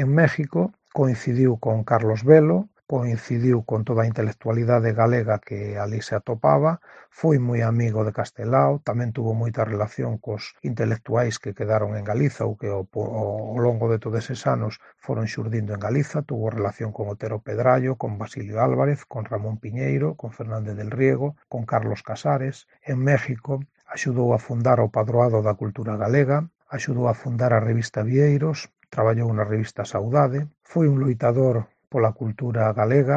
En México coincidiu con Carlos Velo, coincidiu con toda a intelectualidade galega que alí se atopaba, foi moi amigo de Castelao, tamén tuvo moita relación cos intelectuais que quedaron en Galiza ou que ao longo de todos eses anos foron xurdindo en Galiza, tuvo relación con Otero Pedrallo, con Basilio Álvarez, con Ramón Piñeiro, con Fernández del Riego, con Carlos Casares. En México axudou a fundar o Padroado da Cultura Galega, axudou a fundar a revista Vieiros, traballou na revista Saudade, foi un loitador pola cultura galega,